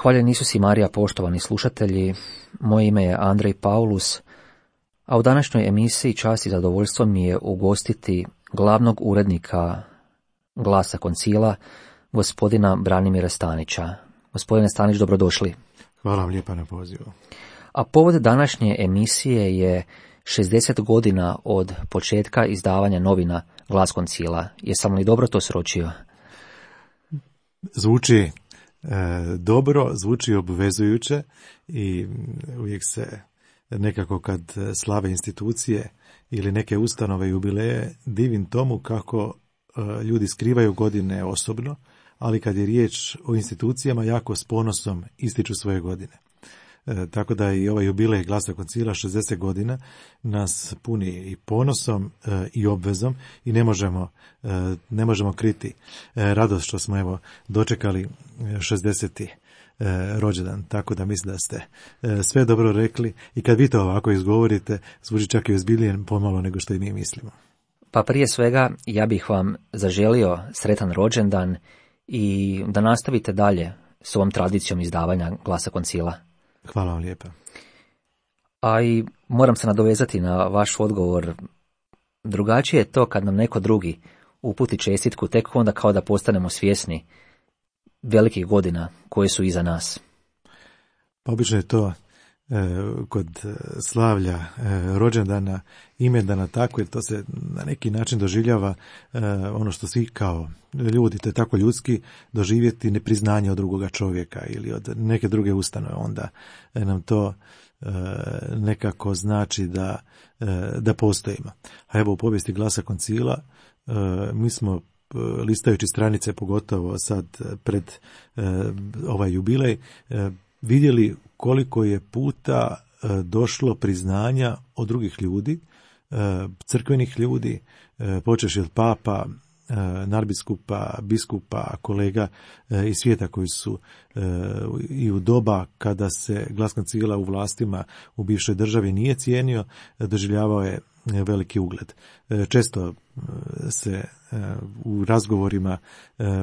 Hvaljen Isus i Marija, poštovani slušatelji, moje ime je Andrej Paulus, a u današnjoj emisiji čast i zadovoljstvo mi je ugostiti glavnog urednika Glasa Koncila, gospodina Branimira Stanića. Gospodine Stanić, dobrodošli. Hvala vam lijepa na pozivu. A povod današnje emisije je 60 godina od početka izdavanja novina Glas Koncila. Jesam li dobro to sročio? Zvuči dobro, zvuči obvezujuće i uvijek se nekako kad slave institucije ili neke ustanove jubileje divim tomu kako ljudi skrivaju godine osobno, ali kad je riječ o institucijama jako s ponosom ističu svoje godine. Tako da i ovaj jubilej Glasa Koncila 60 godina nas puni i ponosom i obvezom i ne možemo kriti radost što smo evo dočekali 60. rođendan. Tako da mislim da ste sve dobro rekli i kad vi to ovako izgovorite zvuči čak i ozbiljnije pomalo nego što i mi mislimo. Pa prije svega ja bih vam zaželio sretan rođendan i da nastavite dalje s ovom tradicijom izdavanja Glasa Koncila. Hvala vam lijepa. A i moram se nadovezati na vaš odgovor. Drugačije je to kad nam neko drugi uputi čestitku, tek onda kao da postanemo svjesni velikih godina koje su iza nas. Pa obično je to kod slavlja rođendana, imendana tako, jer to se na neki način doživljava ono što svi kao ljudi, to je tako ljudski, doživjeti nepriznanje od drugoga čovjeka ili od neke druge ustanove, onda nam to nekako znači da postojimo. A evo u povijesti Glasa Koncila mi smo listajući stranice, pogotovo sad pred ovaj jubilej, vidjeli koliko je puta došlo priznanja od drugih ljudi, crkvenih ljudi, počevši od papa, nadbiskupa, biskupa, kolega iz svijeta koji su i u doba kada se Glas Koncila u vlastima u bivšoj državi nije cijenio, doživljavao je veliki ugled. Često se u razgovorima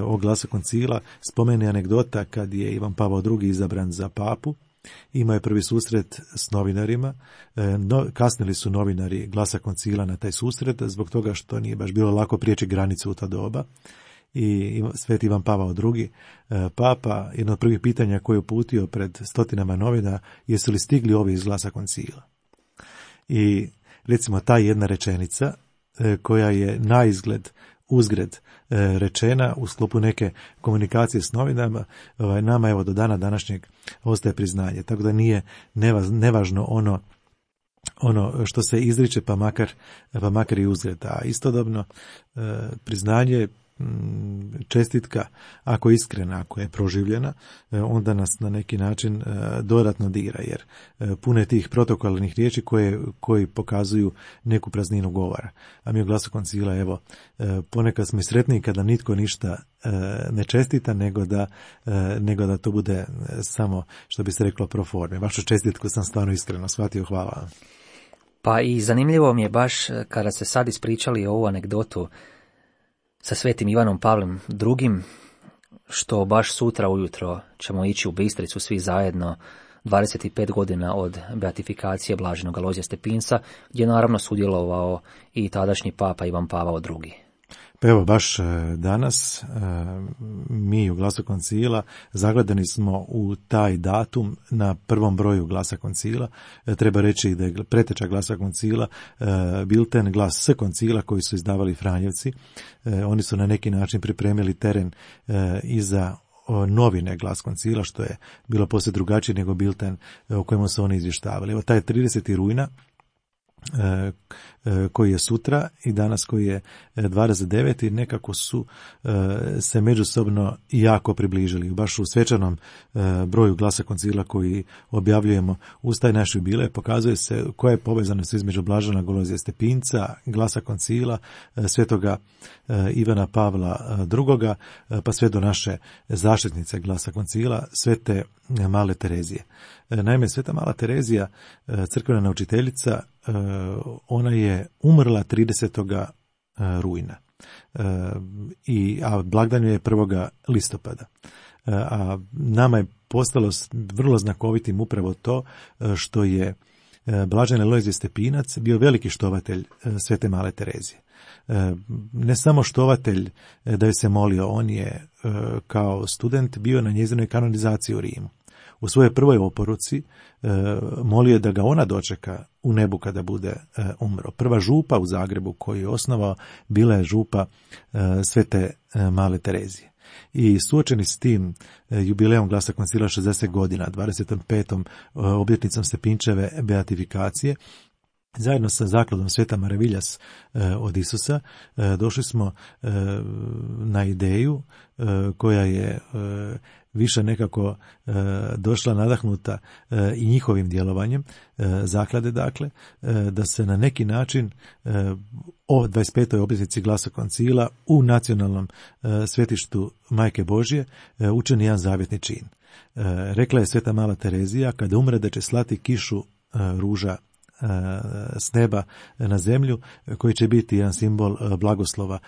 o Glasu Koncila spomene anegdota kad je Ivan Pavao II izabran za papu. Imao je prvi susret s novinarima, kasnili su novinari Glasa Koncila na taj susret zbog toga što nije baš bilo lako prijeći granicu u ta doba. I Sveti Ivan Pavao II, papa, jedno od prvih pitanja koje je uputio pred stotinama novina, jesu li stigli ovi iz Glasa Koncila. I recimo ta jedna rečenica koja je na izgled uzgred rečena u sklopu neke komunikacije s novinama, nama evo do dana današnjeg ostaje priznanje. Tako da nije nevažno ono što se izriče pa makar i uzgred. A istodobno priznanje, čestitka, ako je iskrena, ako je proživljena, onda nas na neki način dodatno dira, jer puno je tih protokolarnih riječi koji pokazuju neku prazninu govora. A mi u Glasu Koncila, evo, ponekad smo i sretniji kada nitko ništa ne čestita, nego da to bude samo, što bi se reklo, pro forme. Vašu čestitku sam stvarno iskreno shvatio, hvala vam. Pa i zanimljivo mi je baš kada ste sad ispričali ovu anegdotu sa Svetim Ivanom Pavlom II, što baš sutra ujutro ćemo ići u Bistricu svi zajedno, 25 godina od beatifikacije blaženog Alojzija Stepinca, gdje je naravno sudjelovao i tadašnji papa Ivan Pavao II. Pa evo, baš danas mi u Glasu Koncila zagledani smo u taj datum na prvom broju Glasa Koncila. Treba reći da je preteča Glasa Koncila bilten Glas S Koncila koji su izdavali Franjevci. Oni su na neki način pripremili teren i za novine Glas Koncila, što je bilo poslije drugačije nego bilten o kojemu su oni izvještavali. Evo, taj 30. rujna koji je sutra i danas koji je 29. nekako su se međusobno jako približili. Baš u svečanom broju Glasa Koncila koji objavljujemo uz taj naš jubilej pokazuje se koja je povezanost između blaženog Alojzija Stepinca, Glasa Koncila, svetoga Ivana Pavla II, pa sve do naše zaštitnice Glasa Koncila, svete Male Terezije. Naime, sveta Mala Terezija, crkvena naučiteljica, ona je umrla 30. rujna, a blagdan je 1. listopada. a nama je postalo vrlo znakovitim upravo to što je blaženi Alojzije Stepinac bio veliki štovatelj Svete Male Terezije. Ne samo štovatelj da joj se molio, on je kao student bio na njezinoj kanonizaciji u Rimu. U svojoj prvoj oporuci molio da ga ona dočeka u nebu kada bude umro. Prva župa u Zagrebu koju je osnovao bila je župa Svete Male Terezije. I suočeni s tim jubileom Glasa koncila 60 godina, 25. obljetnicom Stepinčeve beatifikacije, zajedno sa zakladom Sveta Maraviljas od Isusa, došli smo na ideju koja je više nekako došla nadahnuta i njihovim djelovanjem zaklade, dakle, da se na neki način o 25. obljetnici Glasa koncila u nacionalnom svetištu Majke Božje učini jedan zavjetni čin. Rekla je Sveta Mala Terezija, kada umre da će slati kišu ruža s neba na zemlju, koji će biti jedan simbol blagoslova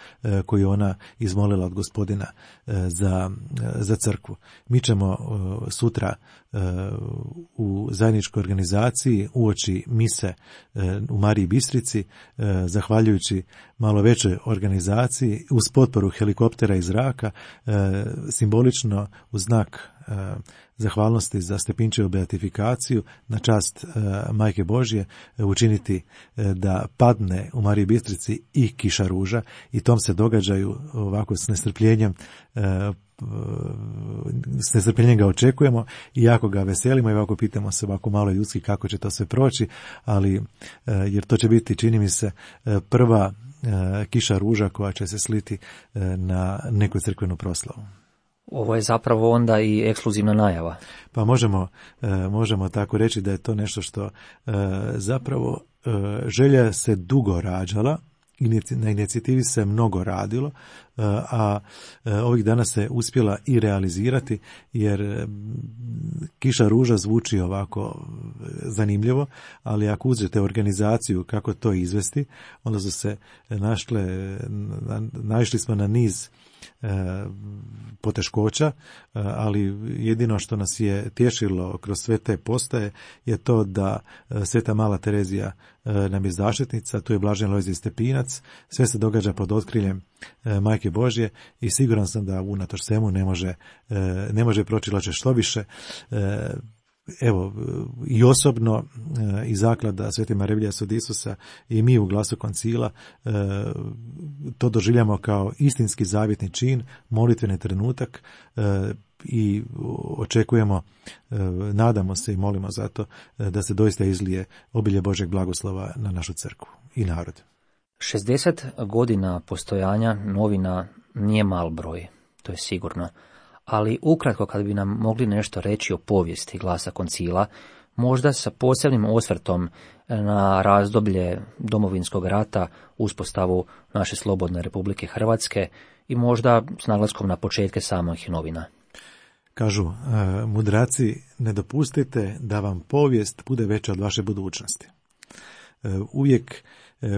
koji ona izmolila od Gospodina za crkvu. Mi ćemo sutra u zajedničkoj organizaciji uoči mise u Mariji Bistrici, zahvaljujući malo većoj organizaciji, uz potporu helikoptera iz zraka, simbolično u znak zahvalnosti za Stepinčevu beatifikaciju na čast Majke Božje učiniti da padne u Mariji Bistrici i kiša ruža, i tom se događaju ovako s nestrpljenjem ga očekujemo i jako ga veselimo i ovako pitamo se ovako malo ljudski kako će to sve proći, ali jer to će biti, čini mi se, prva kiša ruža koja će se sliti na neku crkvenu proslavu. Ovo je zapravo onda i ekskluzivna najava. Pa možemo tako reći da je to nešto što zapravo želja se dugo rađala, na inicijativi se mnogo radilo, a ovih dana se uspjela i realizirati, jer kiša ruža zvuči ovako zanimljivo, ali ako uzmete organizaciju kako to izvesti, onda su se naišli smo na niz poteškoća, ali jedino što nas je tješilo kroz sve te postaje je to da Sveta Mala Terezija nam je zaštitnica, tu je blaženi Alojzije Stepinac, sve se događa pod otkriljem Majke Božje i siguran sam da unatoč svemu ne može proći loše. Što više, evo, i osobno i zaklada Svete Maraviljas od Isusa i mi u Glasu koncila to doživljamo kao istinski zavjetni čin, molitveni trenutak i očekujemo, nadamo se i molimo za to da se doista izlije obilje Božjeg blagoslova na našu crkvu i narod. 60 godina postojanja novina nije mal broj, to je sigurno. Ali ukratko, kad bi nam mogli nešto reći o povijesti Glasa koncila, možda sa posebnim osvrtom na razdoblje Domovinskog rata, uspostavu naše slobodne Republike Hrvatske i možda s naglaskom na početke samih novina. Kažu mudraci, ne dopustite da vam povijest bude veća od vaše budućnosti. Uvijek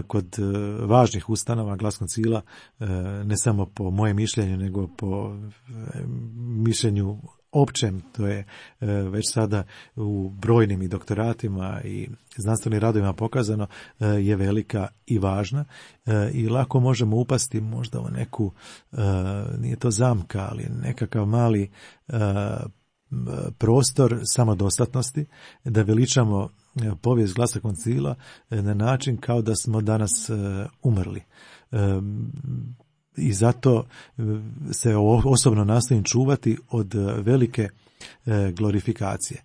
kod važnih ustanova Glas koncila, ne samo po mojem mišljenju, nego po mišljenju općem, to je već sada u brojnim i doktoratima i znanstvenim radovima pokazano, je velika i važna i lako možemo upasti možda u neku, nije to zamka, ali nekakav mali prostor samodostatnosti, da veličamo povijest Glasa koncila na način kao da smo danas umrli. I zato se osobno nastojim čuvati od velike glorifikacije.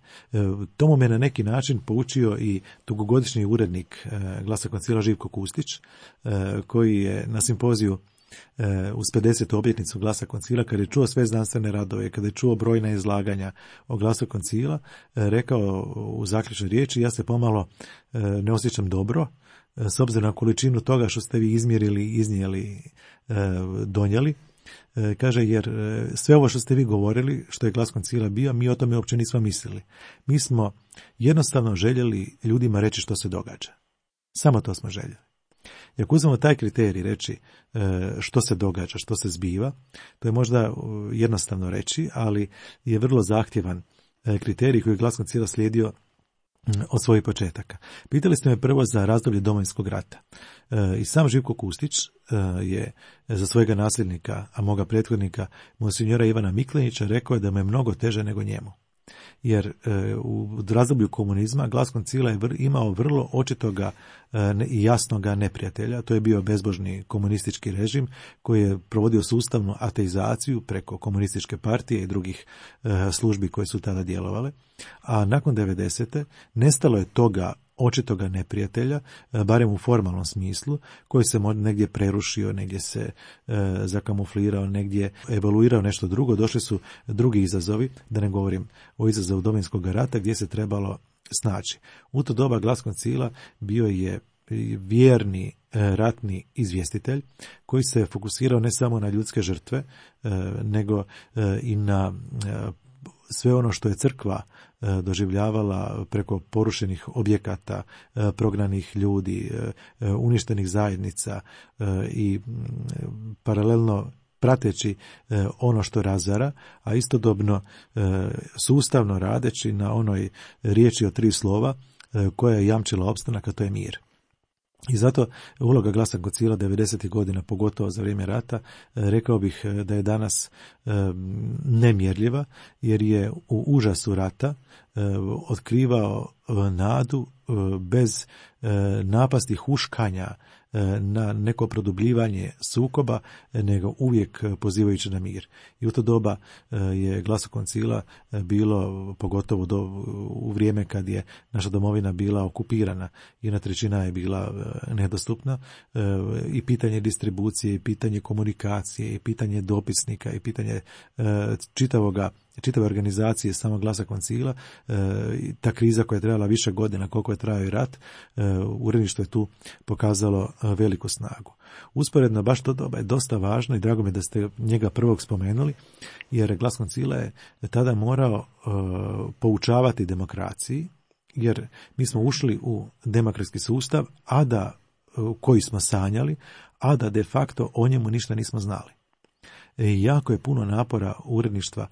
Tomu me na neki način poučio i dugogodišnji urednik Glasa koncila Živko Kustić, koji je na simpoziju uz 50. obljetnicu Glasa koncila, kada je čuo sve znanstvene radove, kada je čuo brojna izlaganja o Glasu koncila, rekao u zaključnoj riječi: ja se pomalo ne osjećam dobro, s obzirom na količinu toga što ste vi izmjerili, iznijeli, donijeli. Kaže, jer sve ovo što ste vi govorili, što je Glas koncila bio, mi o tome uopće nismo mislili. Mi smo jednostavno željeli ljudima reći što se događa. Samo to smo željeli. I ako uzmemo taj kriterij reći što se događa, što se zbiva, to je možda jednostavno reći, ali je vrlo zahtjevan kriterij koji je Glas Koncila slijedio od svojih početaka. Pitali ste me prvo za razdoblje Domovinskog rata. I sam Živko Kustić je za svojega nasljednika, a moga prethodnika, monsinjora Ivana Miklenića, rekao je da mu je mnogo teže nego njemu. Jer u razdoblju komunizma Glas Koncila je imao vrlo očitoga i jasnoga neprijatelja. To je bio bezbožni komunistički režim koji je provodio sustavnu ateizaciju preko komunističke partije i drugih službi koje su tada djelovale. A nakon 90. nestalo je toga očitoga neprijatelja, barem u formalnom smislu, koji se negdje prerušio, negdje se zakamuflirao, negdje evoluirao nešto drugo. Došli su drugi izazovi, da ne govorim o izazovu Domovinskog rata, gdje se trebalo snaći. U to doba Glas Koncila bio je vjerni ratni izvjestitelj koji se fokusirao ne samo na ljudske žrtve, nego i na sve ono što je crkva doživljavala preko porušenih objekata, prognanih ljudi, uništenih zajednica i paralelno prateći ono što razara, a istodobno sustavno radeći na onoj riječi od 3 slova koja je jamčila opstanak, a to je mir. I zato uloga Glasa Koncila 90. godina, pogotovo za vrijeme rata, rekao bih da je danas nemjerljiva, jer je u užasu rata otkrivao nadu bez napasti huškanja na neko produbljivanje sukoba, nego uvijek pozivajući na mir. I u to doba je Glasu Koncila bilo, pogotovo u vrijeme kad je naša domovina bila okupirana, 1/3 je bila nedostupna, i pitanje distribucije, i pitanje komunikacije, i pitanje dopisnika, i pitanje čitave organizacije samog Glasa Koncila, ta kriza koja je trajala više godina, koliko je trajao i rat, uredništvo je tu pokazalo veliku snagu. Usporedno, baš to doba je dosta važno i drago mi je da ste njega prvog spomenuli, jer Glas Koncila je tada morao poučavati demokraciji, jer mi smo ušli u demokratski sustav, koji smo sanjali, a da de facto o njemu ništa nismo znali. Jako je puno napora uredništvo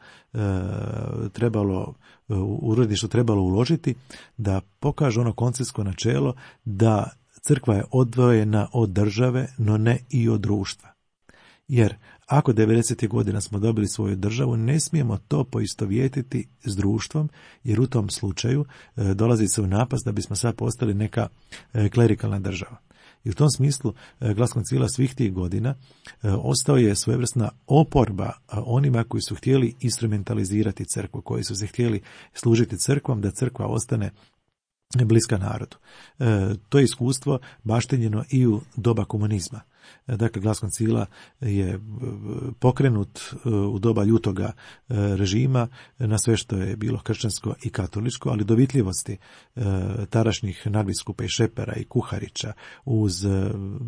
trebalo uložiti da pokaže ono konceptsko načelo da crkva je odvojena od države, no ne i od društva. Jer ako 90. godina smo dobili svoju državu, ne smijemo to poistovjetiti s društvom, jer u tom slučaju dolazi se u napast da bismo sad postali neka klerikalna država. I u tom smislu Glas Koncila svih tih godina ostao je svojevrsna oporba onima koji su htjeli instrumentalizirati crkvu, koji su se htjeli služiti crkvom, da crkva ostane bliska narodu. To je iskustvo baštenjeno i u doba komunizma. Dakle, Glas Koncila je pokrenut u doba ljutoga režima na sve što je bilo kršćansko i katoličko, ali dovitljivosti tadašnjih nadbiskupa i Šepera i Kuharića uz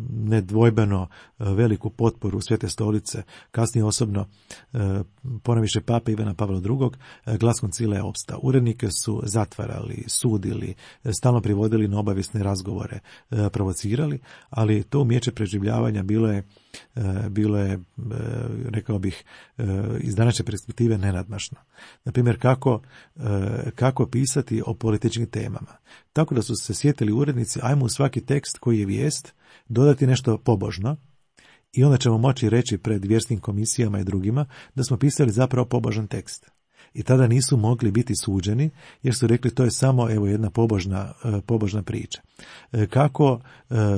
nedvojbeno veliku potporu Svete stolice, kasnije osobno ponajviše pape Ivana Pavla II, Glas Koncila je opstao. Urednike su zatvarali, sudili, stalno privodili na obavijesne razgovore, provocirali, ali to umijeće preživljavanja bilo je, rekao bih, iz današnje perspektive nenadmašno. Naprimjer, kako pisati o političkim temama. Tako da su se sjetili urednici, ajmo u svaki tekst koji je vijest dodati nešto pobožno, i onda ćemo moći reći pred vjerskim komisijama i drugima da smo pisali zapravo pobožan tekst. I tada nisu mogli biti suđeni, jer su rekli to je samo jedna pobožna priča. Kako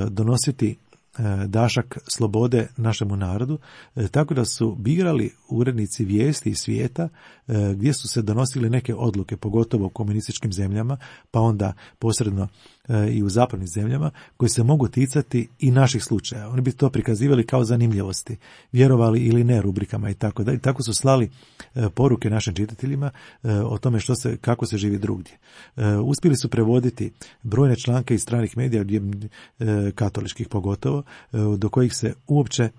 donositi dašak slobode našemu narodu, tako da su birali urednici vijesti iz svijeta gdje su se donosili neke odluke, pogotovo u komunističkim zemljama, pa onda posredno i u zapadnim zemljama, koji se mogu ticati i naših slučaja. Oni bi to prikazivali kao zanimljivosti, vjerovali ili ne rubrikama i tako da. I tako su slali poruke našim čitateljima o tome kako se živi drugdje. Uspjeli su prevoditi brojne članke iz stranih medija, katoličkih pogotovo, do kojih se uopće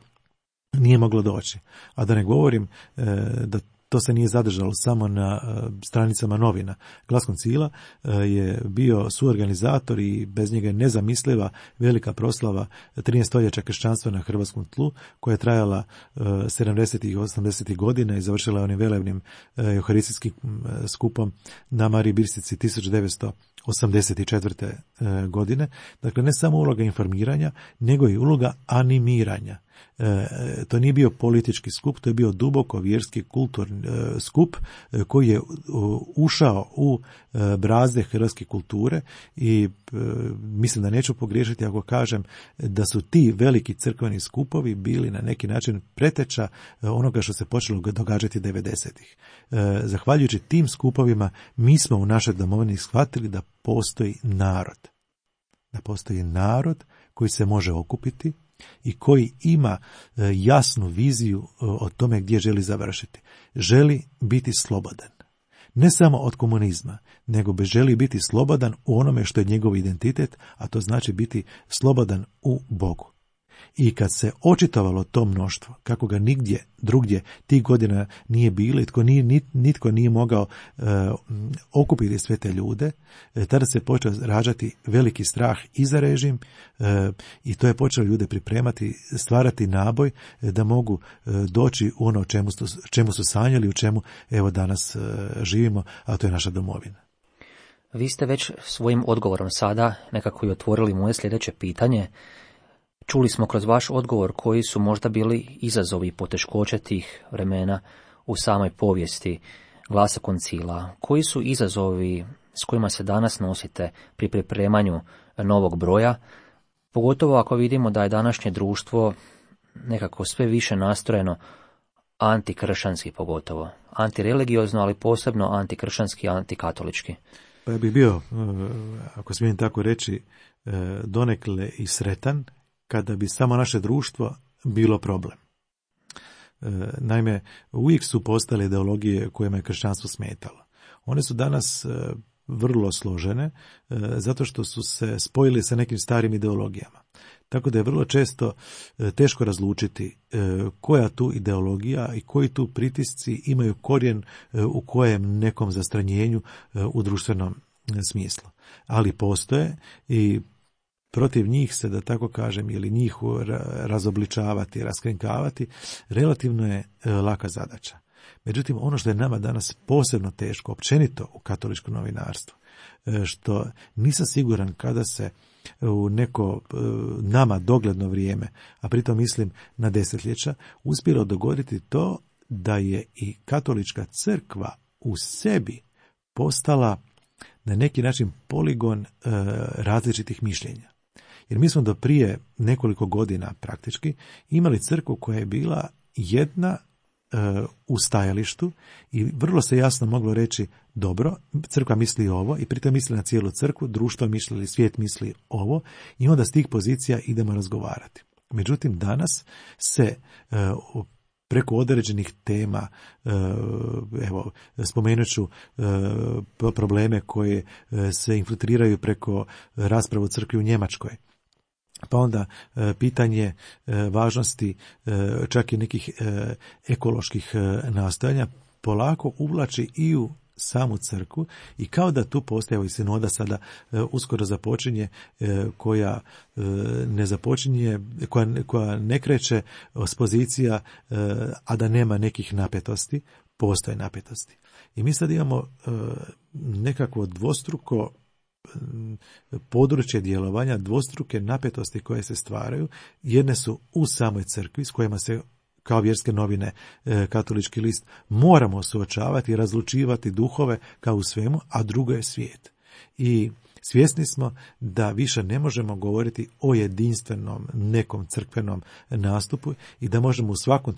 nije moglo doći. A da ne govorim da to se nije zadržalo samo na stranicama novina. Glas Koncila je bio suorganizator i bez njega je nezamisliva velika proslava 13 stoljeća kršćanstva na hrvatskom tlu, koja je trajala 70. i 80. godina i završila onim velebnim euharistijskim skupom na Mariji Bistrici 1984. Godine. Dakle, ne samo uloga informiranja, nego i uloga animiranja. To nije bio politički skup, to je bio duboko vjerski kulturni skup koji je ušao u brazde hrvatske kulture i mislim da neću pogriješiti ako kažem da su ti veliki crkveni skupovi bili na neki način preteča onoga što se počelo događati 90-ih. Zahvaljujući tim skupovima mi smo u našoj domovini shvatili da postoji narod. Da postoji narod koji se može okupiti i koji ima jasnu viziju o tome gdje želi završiti. Želi biti slobodan. Ne samo od komunizma, nego želi biti slobodan u onome što je njegov identitet, a to znači biti slobodan u Bogu. I kad se očitovalo to mnoštvo, kako ga nigdje drugdje tih godina nije bilo i nitko nije mogao okupiti sve te ljude, tada se počeo rađati veliki strah i za režim i to je počelo ljude pripremati, stvarati naboj da mogu doći u ono čemu su sanjali, u čemu evo danas živimo, a to je naša domovina. Vi ste već svojim odgovorom sada nekako i otvorili moje sljedeće pitanje. Čuli smo kroz vaš odgovor koji su možda bili izazovi i poteškoće tih vremena u samoj povijesti Glasa Koncila. Koji su izazovi s kojima se danas nosite pri pripremanju novog broja, pogotovo ako vidimo da je današnje društvo nekako sve više nastrojeno antikršćanski, pogotovo antireligiozno, ali posebno antikršćanski i antikatolički. Pa ja bih bio, ako smijem tako reći, donekle i sretan kada bi samo naše društvo bilo problem. Naime, uvijek su postale ideologije kojima je kršćanstvo smetalo. One su danas vrlo složene, zato što su se spojili sa nekim starim ideologijama. Tako da je vrlo često teško razlučiti koja tu ideologija i koji tu pritisci imaju korijen u kojem nekom zastranjenju u društvenom smislu. Ali postoje i protiv njih se, da tako kažem, ili njih razobličavati, raskrinkavati, relativno je laka zadaća. Međutim, ono što je nama danas posebno teško, općenito u katoličkom novinarstvu, što nisam siguran kada se u neko nama dogledno vrijeme, a pritom mislim na desetljeća, uspjelo dogoditi to da je i katolička crkva u sebi postala na neki način poligon različitih mišljenja. Jer mi smo do prije nekoliko godina praktički imali crkvu koja je bila jedna u stajalištu i vrlo se jasno moglo reći dobro, crkva misli ovo i pritom misli na cijelu crkvu, društvo misli ili svijet misli ovo i onda s tih pozicija idemo razgovarati. Međutim, danas se preko određenih tema, evo, spomenut ću probleme koje se infiltriraju preko rasprave u crkvi u Njemačkoj. Pa onda pitanje važnosti čak i nekih ekoloških nastojanja polako uvlači i u samu crkvu i kao da tu postoje i sinoda sada uskoro započinje koja ne započinje, koja ne kreće s pozicija, a da nema nekih napetosti, postoje napetosti. I mi sad imamo nekakvo dvostruko područje djelovanja, dvostruke napetosti koje se stvaraju. Jedne su u samoj crkvi s kojima se kao vjerske novine Katolički list moramo suočavati i razlučivati duhove kao u svemu, a drugo je svijet. I svjesni smo da više ne možemo govoriti o jedinstvenom nekom crkvenom nastupu i da možemo u svakom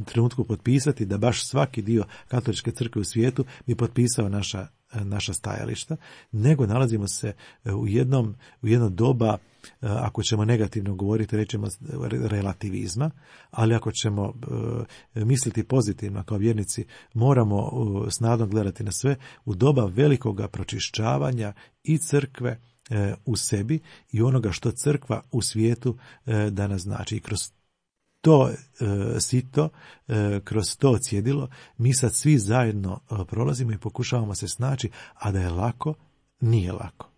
trenutku potpisati da baš svaki dio katoličke crkve u svijetu bi potpisao naša stajališta, nego nalazimo se u jedno doba, ako ćemo negativno govoriti, rećemo relativizma, ali ako ćemo misliti pozitivno kao vjernici, moramo s nadom gledati na sve u doba velikoga pročišćavanja i crkve u sebi i onoga što crkva u svijetu danas znači. I kroz to sito, kroz to cjedilo, mi sad svi zajedno prolazimo i pokušavamo se snaći, a da je lako, nije lako.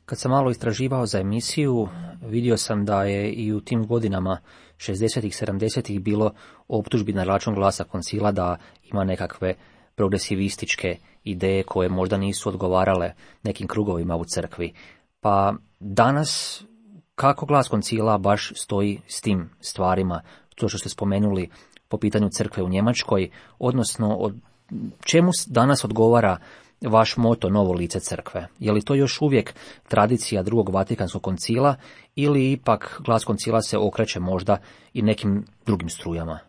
Kad sam malo istraživao za emisiju, vidio sam da je i u tim godinama 60-ih, 70-ih bilo optužbi na račun Glasa koncila da ima nekakve progresivističke ideje koje možda nisu odgovarale nekim krugovima u crkvi. Pa danas, kako Glas koncila baš stoji s tim stvarima, to što ste spomenuli po pitanju crkve u Njemačkoj, odnosno od čemu danas odgovara vaš moto novo lice crkve? Je li to još uvijek tradicija drugog Vatikanskog koncila ili ipak Glas koncila se okreće možda i nekim drugim strujama?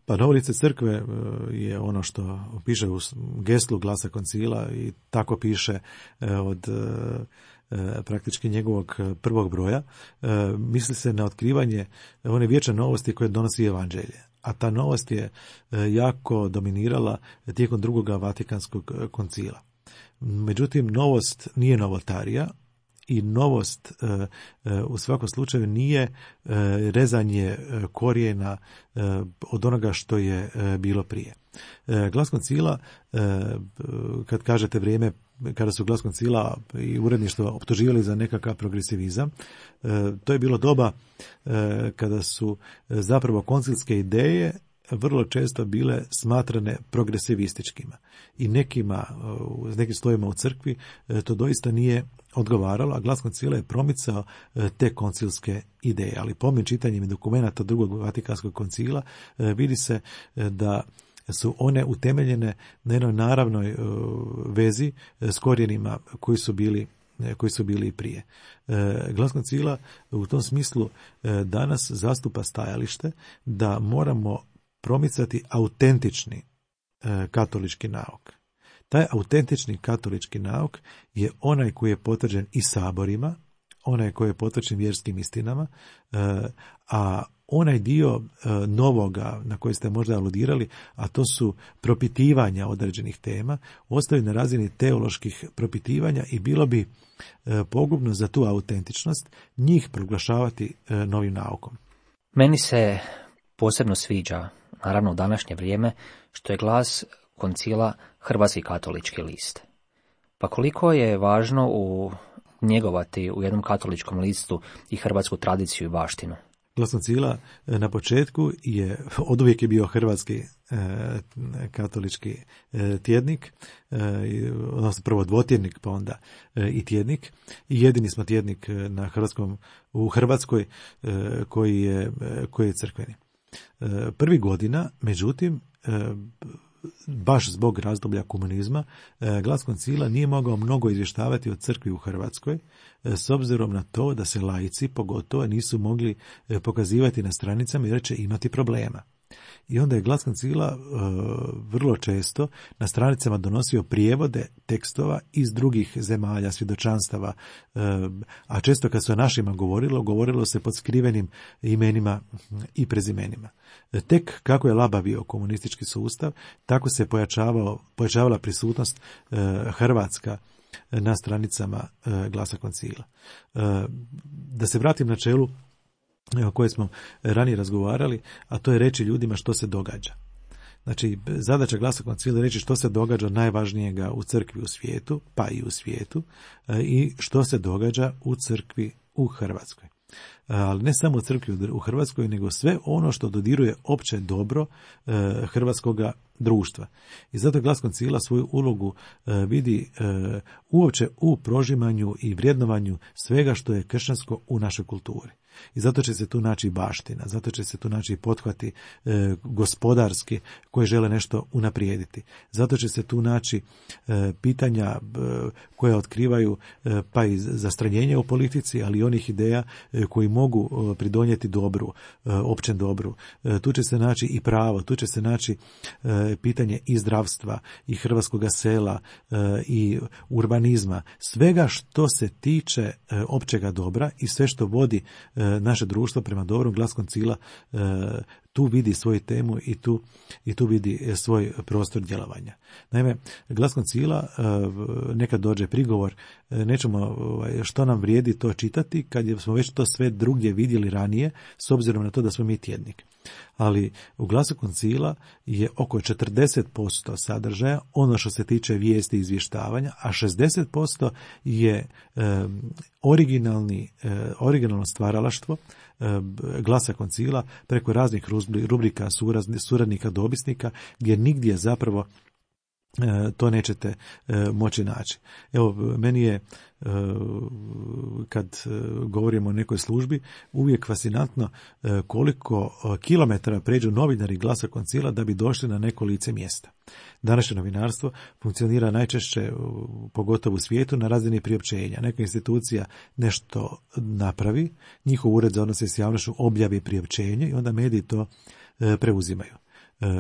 Pa novo lice crkve je ono što piše u geslu Glasa koncila i tako piše od praktički njegovog prvog broja. Misli se na otkrivanje one vječne novosti koje donosi evanđelje. A ta novost je jako dominirala tijekom drugog Vatikanskog koncila. Međutim, novost nije novotarija i novost u svakom slučaju nije rezanje korijena od onoga što je bilo prije. Glas koncila, kad kažete vrijeme kada su Glas koncila i uredništvo optuživali za nekakav progresivizam, to je bilo doba kada su zapravo koncilske ideje vrlo često bile smatrane progresivističkima. I nekim slojevima u crkvi to doista nije odgovaralo, a Glas koncila je promicao te koncilske ideje. Ali pomnim čitanjem dokumenata drugog Vatikanskog koncila vidi se da su one utemeljene na jednoj naravnoj vezi s korijenima koji su bili i prije. Glas koncila u tom smislu danas zastupa stajalište da moramo promicati autentični katolički nauk. Taj autentični katolički nauk je onaj koji je potvrđen i saborima, onaj koji je potvrđen vjerskim istinama, a onaj dio novoga na koji ste možda aludirali, a to su propitivanja određenih tema, ostaju na razini teoloških propitivanja i bilo bi pogubno za tu autentičnost njih proglašavati novim naukom. Meni se posebno sviđa, naravno u današnje vrijeme, što je Glas koncila Hrvatski katolički list. Pa koliko je važno njegovati u jednom katoličkom listu i hrvatsku tradiciju i baštinu? Glas koncila na početku oduvijek je bio hrvatski katolički tjednik, odnosno prvo dvotjednik, pa onda i tjednik. I jedini smo tjednik u Hrvatskoj koji je crkveni. Prvi godina, međutim, baš zbog razdoblja komunizma, Glas koncila nije mogao mnogo izvještavati o crkvi u Hrvatskoj, s obzirom na to da se laici pogotovo nisu mogli pokazivati na stranicama jer će imati problema. I onda je Glas koncila vrlo često na stranicama donosio prijevode tekstova iz drugih zemalja, svjedočanstava, a često kad se o našima govorilo se pod skrivenim imenima i prezimenima. Tek kako je labavio komunistički sustav, tako se pojačavala prisutnost hrvatska na stranicama Glasa koncila. Da se vratim na čelu o kojoj smo ranije razgovarali, a to je reći ljudima što se događa. Znači, zadaća Glasa koncila je reći što se događa najvažnijega u crkvi u svijetu, pa i u svijetu, i što se događa u crkvi u Hrvatskoj. Ali ne samo u crkvi u Hrvatskoj, nego sve ono što dodiruje opće dobro hrvatskoga društva. I zato Glas koncila svoju ulogu vidi uopće u prožimanju i vrednovanju svega što je kršćansko u našoj kulturi. I zato će se tu naći baština, zato će se tu naći pothvati gospodarski koji žele nešto unaprijediti. Zato će se tu naći pitanja koja otkrivaju pa i zastranjenje u politici, ali i onih ideja koji mogu pridonijeti dobru, općem dobru. Tu će se naći i pravo, tu će se naći pitanje i zdravstva, i hrvatskoga sela, i urbanizma. Svega što se tiče općega dobra i sve što vodi naše društvo prema dobrom, Glas koncila tu vidi svoju temu i tu vidi svoj prostor djelovanja. Naime, Glas koncila, nekad dođe prigovor, nećemo što nam vrijedi to čitati kad smo već to sve drugdje vidjeli ranije, s obzirom na to da smo mi tjednik. Ali u Glasu koncila je oko 40% sadržaja ono što se tiče vijesti i izvještavanja, a 60% je originalno stvaralaštvo Glasa koncila preko raznih rubrika suradnika, dopisnika, gdje nigdje zapravo to nećete moći naći. Evo, meni je, kad govorimo o nekoj službi, uvijek fascinantno koliko kilometara pređu novinari Glasa koncila da bi došli na neko lice mjesta. Današnje novinarstvo funkcionira najčešće, pogotovo u svijetu, na razini priopćenja. Neka institucija nešto napravi, njihov ured za odnose s javnošću objavi priopćenje i onda mediji to preuzimaju.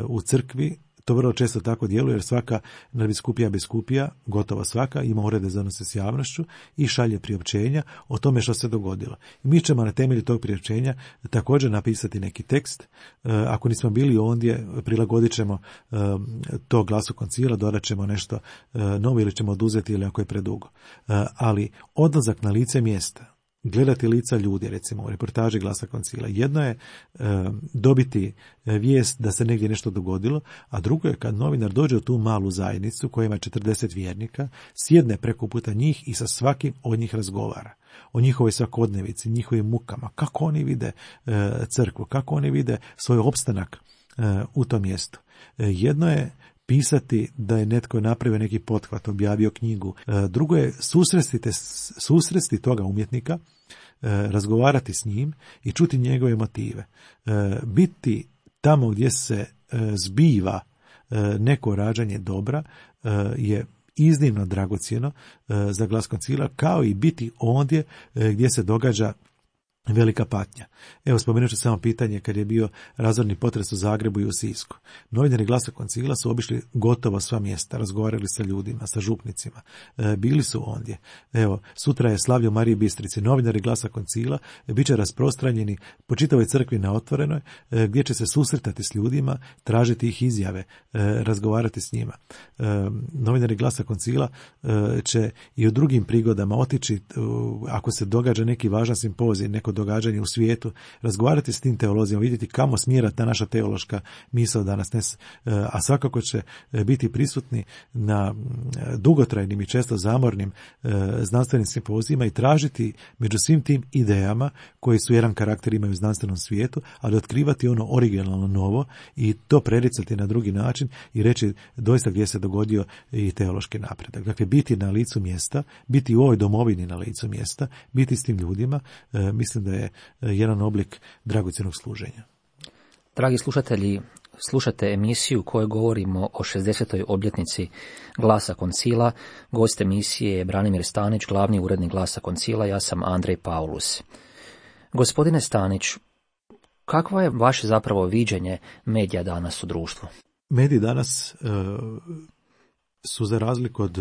U crkvi to vrlo često tako djeluje, jer svaka nadbiskupija, gotovo svaka, ima urede za odnose s javnošću i šalje priopćenja o tome što se dogodilo. I mi ćemo na temelju tog priopćenja također napisati neki tekst. Ako nismo bili ondje, prilagodit ćemo to Glasu koncila, dodat ćemo nešto novo ili ćemo oduzeti, ili ako je predugo. Ali odlazak na lice mjesta, gledati lica ljudi, recimo u reportaži Glasa koncila. Jedno je dobiti vijest da se negdje nešto dogodilo, a drugo je kad novinar dođe u tu malu zajednicu koja ima 40 vjernika, sjedne preko puta njih i sa svakim od njih razgovara o njihovoj svakodnevici, njihovim mukama, kako oni vide crkvu, kako oni vide svoj opstanak u tom mjestu. Jedno je pisati da je netko napravio neki pothvat, objavio knjigu. Drugo je susresti toga umjetnika, razgovarati s njim i čuti njegove motive. Biti tamo gdje se zbiva neko rađanje dobra je iznimno dragocjeno za Glas koncila, kao i biti ondje gdje se događa velika patnja. Evo, spomenut ću samo pitanje kad je bio razorni potres u Zagrebu i u Sisku. Novinari Glasa koncila su obišli gotovo sva mjesta, razgovarali sa ljudima, sa župnicima, bili su ondje. Evo, sutra je slavlje u Mariji Bistrici. Novinari Glasa koncila bit će rasprostranjeni po čitavoj crkvi na Otvorenoj, gdje će se susretati s ljudima, tražiti ih izjave, razgovarati s njima. Novinari Glasa koncila će i u drugim prigodama otići, ako se događa neki važan simpozij, neko događanje u svijetu, razgovarati s tim teolozijama, vidjeti kamo smjera ta naša teološka misao danas, a svakako će biti prisutni na dugotrajnim i često zamornim znanstvenim simpozijima i tražiti među svim tim idejama koji su jedan karakter imaju u znanstvenom svijetu, ali otkrivati ono originalno novo i to prericati na drugi način i reći doista gdje se dogodio i teološki napredak. Dakle, biti na licu mjesta, biti u ovoj domovini na licu mjesta, biti s tim ljudima, mislim da je jedan oblik dragocjenog služenja. Dragi slušatelji, slušate emisiju u kojoj govorimo o 60. obljetnici Glasa koncila. Gost emisije je Branimir Stanić, glavni urednik Glasa koncila, ja sam Andrej Paulus. Gospodine Stanić, kakvo je vaše zapravo viđenje medija danas u društvu? Mediji danas su, za razliku od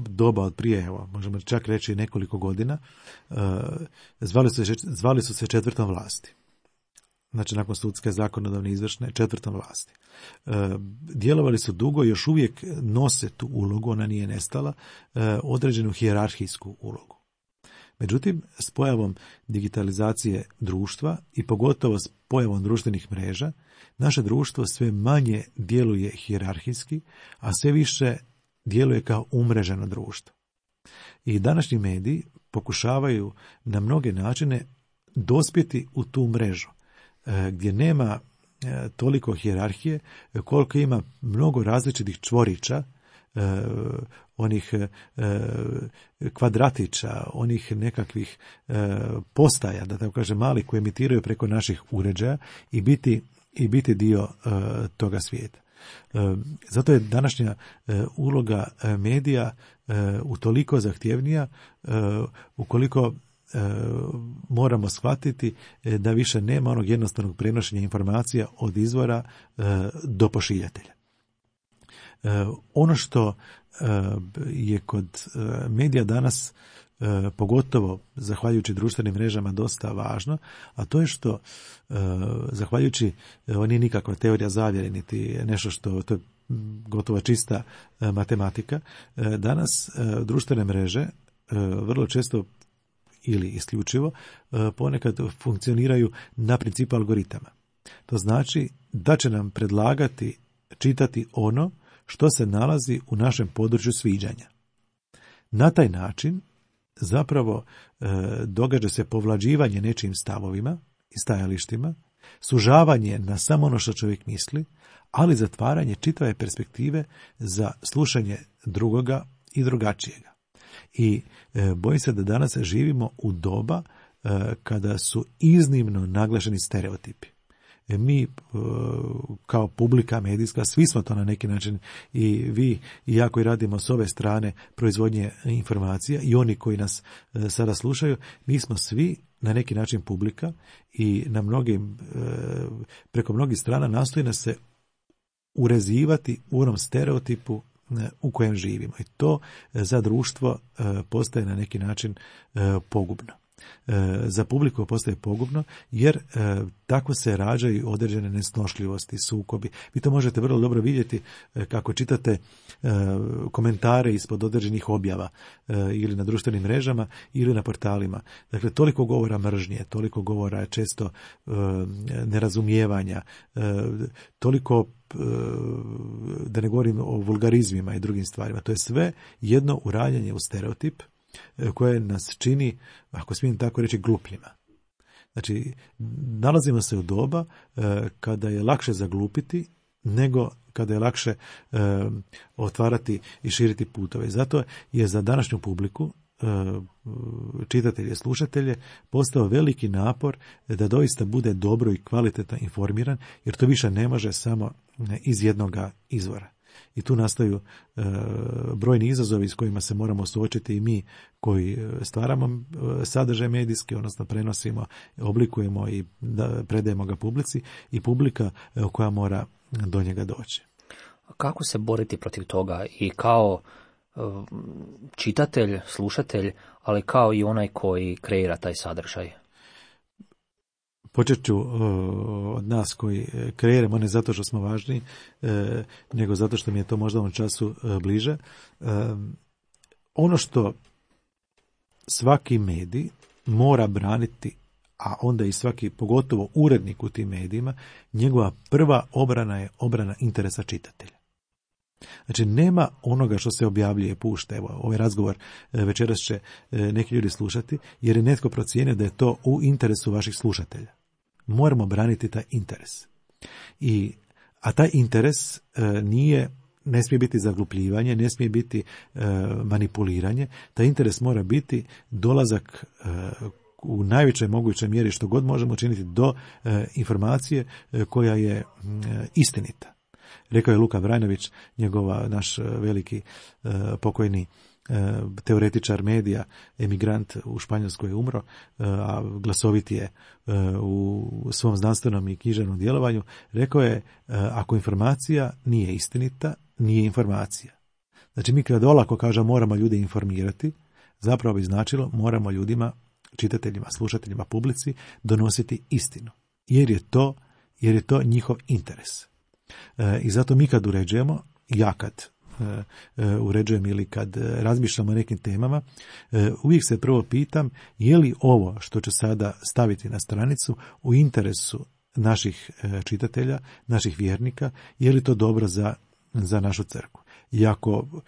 doba od prije, evo, možemo čak reći nekoliko godina, zvali su se četvrtom vlasti. Znači, nakon sudske, zakonodavne, izvršne, četvrtom vlasti. Djelovali su dugo i još uvijek nose tu ulogu, ona nije nestala, određenu hijerarhijsku ulogu. Međutim, s pojavom digitalizacije društva i pogotovo s pojavom društvenih mreža, naše društvo sve manje djeluje hijerarhijski, a sve više djeluje kao umreženo društvo. I današnji mediji pokušavaju na mnoge načine dospjeti u tu mrežu, gdje nema toliko hijerarhije, koliko ima mnogo različitih čvorića, onih kvadratića, onih nekakvih postaja, da tako kažem, malih, koji emitiraju preko naših uređaja i biti dio toga svijeta. Zato je današnja uloga medija utoliko zahtjevnija, ukoliko moramo shvatiti da više nema onog jednostavnog prenošenja informacija od izvora do pošiljatelja. Ono što je kod medija danas pogotovo zahvaljujući društvenim mrežama dosta važno, a to je što zahvaljujući, ovo nije nikakva teorija zavjere, niti nešto što, to je gotovo čista matematika, danas društvene mreže vrlo često ili isključivo ponekad funkcioniraju na principu algoritama. To znači da će nam predlagati čitati ono što se nalazi u našem području sviđanja. Na taj način zapravo događa se povlađivanje nečijim stavovima i stajalištima, sužavanje na samo ono što čovjek misli, ali zatvaranje čitave perspektive za slušanje drugoga i drugačijega. I bojim se da danas živimo u doba kada su iznimno naglašeni stereotipi. Mi kao publika medijska, svi smo to na neki način, i vi i ja koji radimo s ove strane proizvodnje informacija i oni koji nas sada slušaju, mi smo svi na neki način publika i na mnogim, preko mnogih strana nastoji nas se urezivati u onom stereotipu u kojem živimo. I to za društvo postaje na neki način pogubno. Za publiku postaje pogubno, jer tako se rađaju određene nesnošljivosti, sukobi. Vi to možete vrlo dobro vidjeti kako čitate komentare ispod određenih objava ili na društvenim mrežama ili na portalima. Dakle, toliko govora mržnje, toliko govora često nerazumijevanja, toliko, da ne govorim o vulgarizmima i drugim stvarima. To je sve jedno uranjanje u stereotip koje nas čini, ako smijem tako reći, glupljima. Znači, nalazimo se u doba kada je lakše zaglupiti nego kada je lakše otvarati i širiti putove. Zato je za današnju publiku, čitatelje, slušatelje, postao veliki napor da doista bude dobro i kvalitetno informiran, jer to više ne može samo iz jednoga izvora. I tu nastaju brojni izazovi s kojima se moramo suočiti i mi koji stvaramo sadržaj medijski, odnosno prenosimo, oblikujemo i predajemo ga publici, i publika koja mora do njega doći. Kako se boriti protiv toga i kao čitatelj, slušatelj, ali kao i onaj koji kreira taj sadržaj? Počet ću od nas koji kreiramo, ne zato što smo važni, nego zato što mi je to možda u ovom času bliže. Ono što svaki medij mora braniti, a onda i svaki, pogotovo urednik u tim medijima, njegova prva obrana je obrana interesa čitatelja. Znači, nema onoga što se objavljuje, pušta. Evo, ovaj razgovor večeras će neki ljudi slušati, jer je netko procijenio da je to u interesu vaših slušatelja. Moramo braniti taj interes. A taj interes ne smije biti zaglupljivanje, ne smije biti manipuliranje. Taj interes mora biti dolazak u najvećoj mogućoj mjeri, što god možemo učiniti, do informacije koja je istinita. Rekao je Luka Vrajnović, naš veliki pokojni teoretičar medija, emigrant u Španjolskoj je umro, a glasovit je u svom znanstvenom i književnom djelovanju. Rekao je, ako informacija nije istinita, nije informacija. Znači, mi kad olako kažemo moramo ljude informirati, zapravo bi značilo moramo ljudima, čitateljima, slušateljima, publici donositi istinu. Jer je to njihov interes. I zato mi kad uređujemo, ja kad uređujem ili kad razmišljamo o nekim temama, uvijek se prvo pitam je li ovo što ću sada staviti na stranicu u interesu naših čitatelja, naših vjernika, je li to dobro za našu crkvu. I ako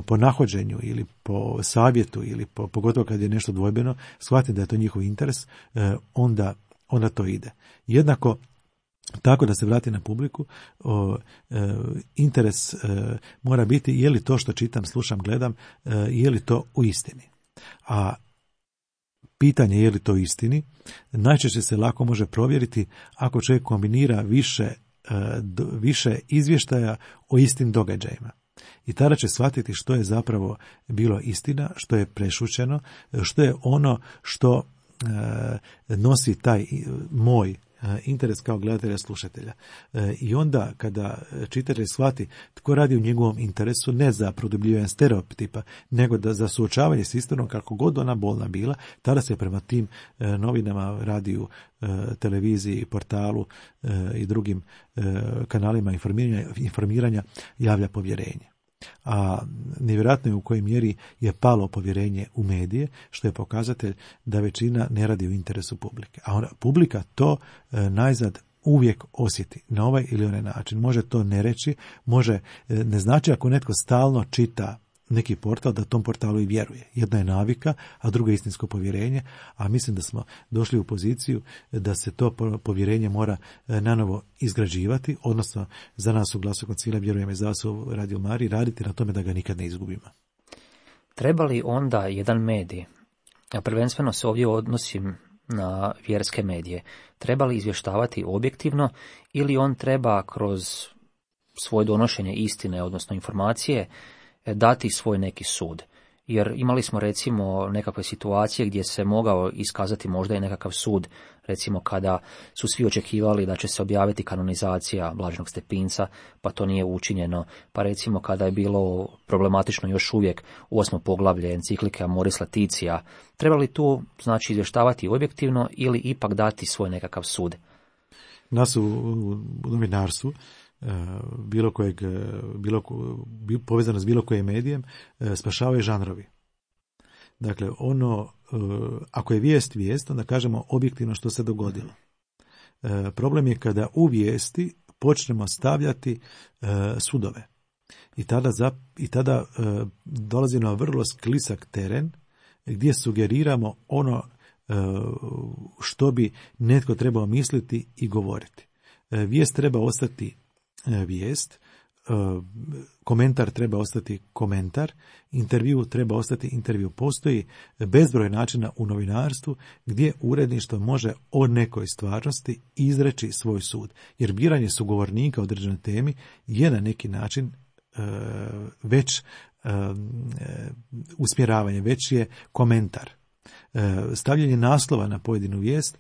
po nahođenju ili po savjetu ili pogotovo kad je nešto dvojbeno, shvatim da je to njihov interes, onda to ide. Jednako tako, da se vrati na publiku, interes mora biti je li to što čitam, slušam, gledam, je li to u istini. A pitanje je li to u istini najčešće se lako može provjeriti ako čovjek kombinira više izvještaja o istim događajima. I tada će shvatiti što je zapravo bilo istina, što je prešućeno, što je ono što nosi taj moj interes kao gledatelja, slušatelja. I onda kada čitatelj shvati tko radi u njegovom interesu, ne za produbljivanje stereotipa, nego da za suočavanje s istinom kako god ona bolna bila, tada se prema tim novinama, radiju, televiziji, portalu i drugim kanalima informiranja javlja povjerenje. A nevjerojatno je u kojoj mjeri je palo povjerenje u medije, što je pokazatelj da većina ne radi u interesu publike. A publika to najzad uvijek osjeti na ovaj ili onaj način. Može to ne reći, ne znači ako netko stalno čita neki portal, da tom portalu i vjeruje. Jedna je navika, a druga je istinsko povjerenje, a mislim da smo došli u poziciju da se to povjerenje mora nanovo izgrađivati, odnosno za nas u Glasu Koncila, vjerujem i za vas u Radio Mariji, raditi na tome da ga nikad ne izgubimo. Treba li onda jedan medij, a prvenstveno se ovdje odnosim na vjerske medije, treba li izvještavati objektivno ili on treba kroz svoje donošenje istine, odnosno informacije, dati svoj neki sud? Jer imali smo recimo nekakve situacije gdje se mogao iskazati možda i nekakav sud, recimo kada su svi očekivali da će se objaviti kanonizacija Blaženog Stepinca, pa to nije učinjeno, pa recimo kada je bilo problematično još uvijek 8. poglavlje enciklike Amoris Laetitia, treba li tu znači izvještavati objektivno ili ipak dati svoj nekakav sud? Nas u novinarstvu, povezano s bilo kojim medijem, spašavaju žanrovi. Dakle, ako je vijest, onda kažemo objektivno što se dogodilo. Problem je kada u vijesti počnemo stavljati sudove. I tada dolazi na vrlo sklisak teren gdje sugeriramo ono što bi netko trebao misliti i govoriti. Vijest treba ostati vijest, komentar treba ostati komentar, intervju treba ostati intervju. Postoji bezbroj načina u novinarstvu gdje uredništvo može o nekoj stvarnosti izreći svoj sud. Jer biranje sugovornika o određenoj temi je na neki način već usmjeravanje, već je komentar. Stavljanje naslova na pojedinu vijest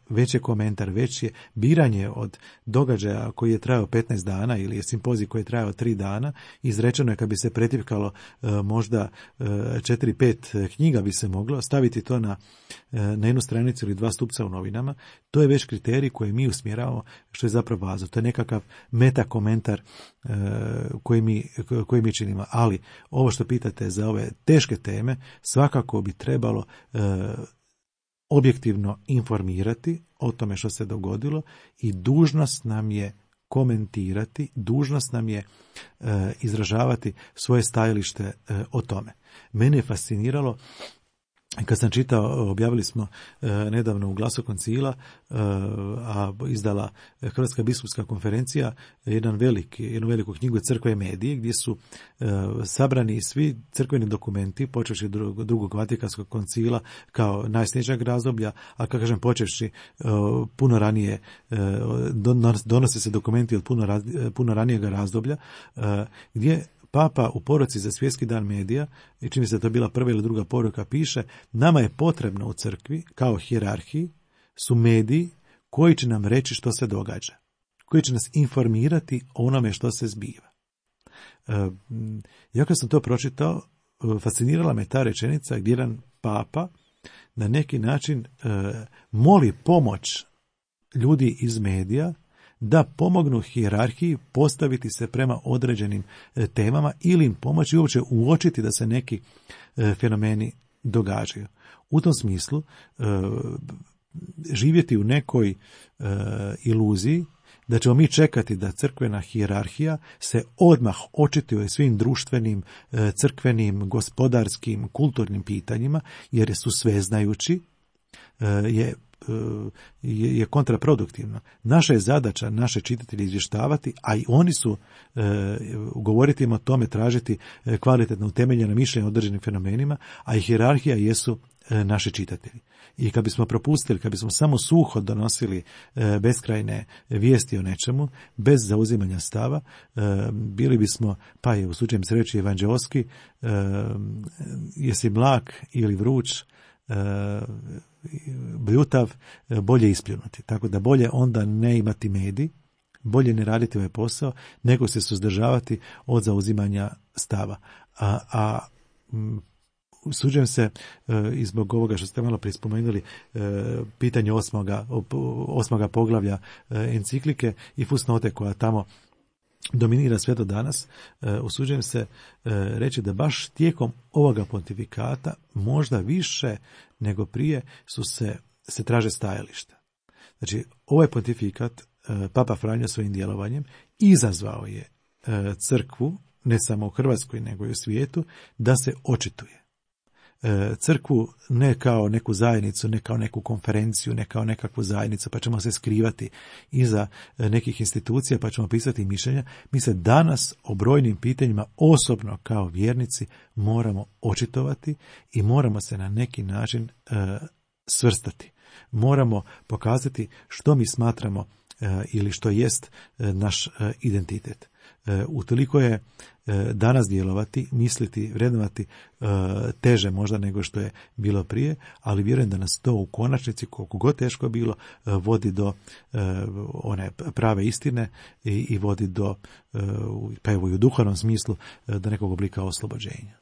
već je komentar, već je biranje od događaja koji je trajao 15 dana ili je simpozij koji je trajao 3 dana, izrečeno je kad bi se pretipkalo možda 4-5 knjiga bi se moglo, staviti to na jednu stranicu ili 2 stupca u novinama, to je već kriterij koji mi usmjeravamo, što je zapravo važno. To je nekakav meta komentar koji mi činimo. Ali ovo što pitate za ove teške teme, svakako bi trebalo objektivno informirati o tome što se dogodilo i dužnost nam je komentirati, dužnost nam je izražavati svoje stajalište o tome. Mene je fasciniralo kad sam čitao, objavili smo nedavno u Glasu Koncila, a izdala Hrvatska biskupska konferencija jednu veliku knjigu Crkve i medije, gdje su sabrani svi crkveni dokumenti, počevši drugog Vatikanskog koncila kao najsnježnijeg razdoblja, a kako kažem počevši puno ranije, donose se dokumenti od puno ranijeg razdoblja, gdje Papa u poruci za Svjetski dan medija, i čini se da to bila prva ili druga poruka, piše: nama je potrebno u crkvi, kao hijerarhiji, su mediji koji će nam reći što se događa, koji će nas informirati o onome što se zbiva. Ja kad sam to pročitao, fascinirala me ta rečenica gdje jedan Papa na neki način moli pomoć ljudi iz medija da pomognu hijerarhiji postaviti se prema određenim temama ili im pomoći uopće uočiti da se neki fenomeni događaju. U tom smislu živjeti u nekoj iluziji da ćemo mi čekati da crkvena hijerarhija se odmah očituje svim društvenim, crkvenim, gospodarskim, kulturnim pitanjima, jer su sveznajući, je kontraproduktivno. Naša je zadaća naše čitatelje izvještavati, a i oni su govoriti im o tome, tražiti kvalitetno utemeljena mišljenja o određenim fenomenima, a i hijerarhija jesu naši čitatelji. I kad bismo propustili, kad bismo samo suho donosili beskrajne vijesti o nečemu, bez zauzimanja stava, bili bismo, pa je usuđujem se reći evanđeoski, jesi mlak ili vruć, bljutav, bolje ispljunuti. Tako da bolje onda ne imati medij, bolje ne raditi ovaj posao, nego se suzdržavati od zauzimanja stava. Usuđujem se i zbog ovoga što ste malo prije spomenuli, pitanje osmoga poglavlja enciklike i fusnote koja tamo dominira sve do danas, usuđujem se reći da baš tijekom ovoga pontifikata možda više nego prije se traže stajališta. Znači, ovaj pontifikat Papa Franjo svojim djelovanjem izazvao je crkvu, ne samo u Hrvatskoj nego i u svijetu, da se očituje. Crkvu ne kao neku zajednicu, ne kao neku konferenciju, ne kao nekakvu zajednicu, pa ćemo se skrivati iza nekih institucija, pa ćemo pisati mišljenja. Mi se danas o brojnim pitanjima osobno kao vjernici moramo očitovati i moramo se na neki način svrstati. Moramo pokazati što mi smatramo ili što jest naš identitet. Utoliko je danas djelovati, misliti, vrednovati teže možda nego što je bilo prije, ali vjerujem da nas to u konačnici, koliko god teško bilo, vodi do one prave istine i vodi do, pa evo i u duhovnom smislu, do nekog oblika oslobođenja.